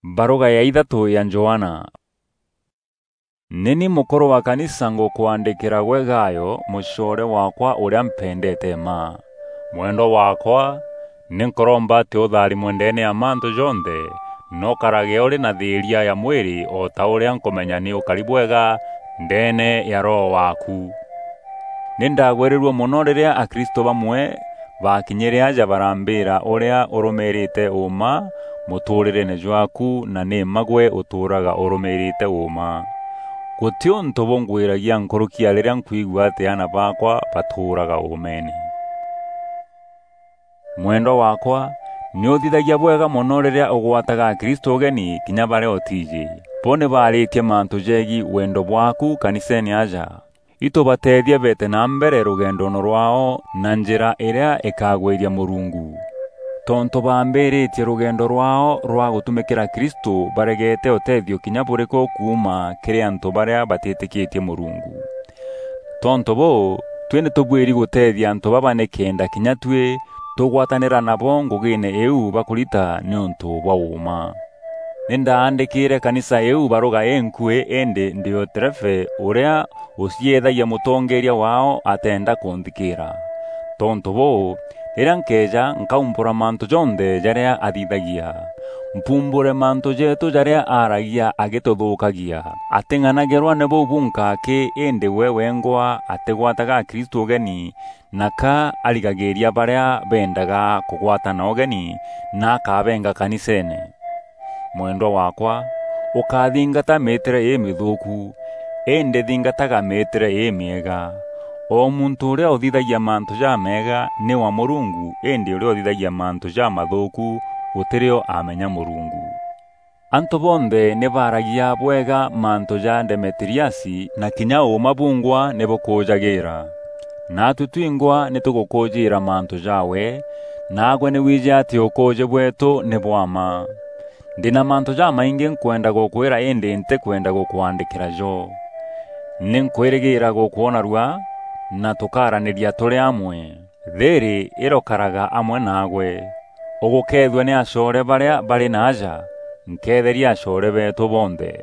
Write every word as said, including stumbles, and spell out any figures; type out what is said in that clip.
Baruga ya ithatû ya Johana. Nî ni mûkûrû wa kanisa ngûkwandîkîra gwe Gayo, mûcoore waakwa ûrîa mpendete mma. Mwendwa waakwa, nî nkûromba atî ûtharimwe ndeene ya mantû jonthe, na ûkarage ûrî na thîîria ya mwîrî o ta ûrîa nkûmenya nî ûkari bwega ndeene ya roho waaku. Nî ndagwîrîrue mono rîrîa akristo bamwe baakinyîre aja barambîîra ûrîa ûrûmîîrîte ûûma mûtûûrîreene jwaaku, na nî mma gwe ûtûûraga ûrûmîîrîte ûûma. Gûtî ûntû bûngwîragia nkûrûki ya rîrîa nkwigua atî aana baakwa batûûraga ûûmeene. Mwendwa waakwa, nî ûthithagia bwega mono rîrîa ûgwataga akristo ûgeni kinya barîa ûtiijî. Bo nî baarîtie mantû jegiî wendo bwaaku kaniseene aja. Itûbateethie beete na mbere rûgendoone rwaao na njîra îrîa îkagwîria Mûrungu. Tontû baambîrîtie rûgendo rwaao rwa gûtumîkîra Kristû, baregete ûteethio kinya bûrîkû kuuma kîrî antû barîa batîtîkîtie Mûrungu. Tontû bûû, tuî nî tûbuîri gûteethia antû baba nîkenda kinya tuî tûgwatanîra nabo ngûgîîne îîu bakûrita nîûntû bwa ûûma. Nî ndaandîkîîre kanisa îîu barûga înkuî, îndî Diotrephe, ûrîa ûciethagia mûtongeeria waao, ateenda kûnthikîîra. Tontû bûû, rîrîa nkeeja, nkaumbûra mantû jonthe jarîa athithagia. Mpumbûre mantû jeetû jarîa aaragia agîtûthûûkagia. Atîng'anagîrwa nî bûu bunka akî, îndî we wengwa atîgwataga Akristû ûgeni, na ka arigagîîria barîa beendaga kûgwatana ûgeni, na akabenga kaniseene. Mwendwa waakwa, ûkathingata mîîtîre îmîthûûku, îndî thingataga mîîtîre îmîega. O muntû ûrîa ûthithagia mantû jameega nî wa Mûrungu, îndî ûrîa ûthithagia mantû jamathûûku gûtî rîo amenya Mûrungu. Antû bonthe nî baaragia bwega mantû ja Demetiriasi, na kinya ûûma bungwa nî bûkûûjagîîra. Naatuî twingwa nî tûgûkûûjîîra mantû jaawe, naagwe nî wiijî atî ûkûûjî bweetû nî bwa mma. Ndî na mantû jamaingî nkwenda gûkwîra, îndî ntîkwenda gûkwandîkîra jo. Nî nkwîrîgîîra gûkwona rua, na tûkaaranîria tûrî amwe. Thîîrî îrokaraga amwe naagwe. Ûgûkeethua nî acoore barîa barî naaja, nkeetheria acoore beetû bonthe.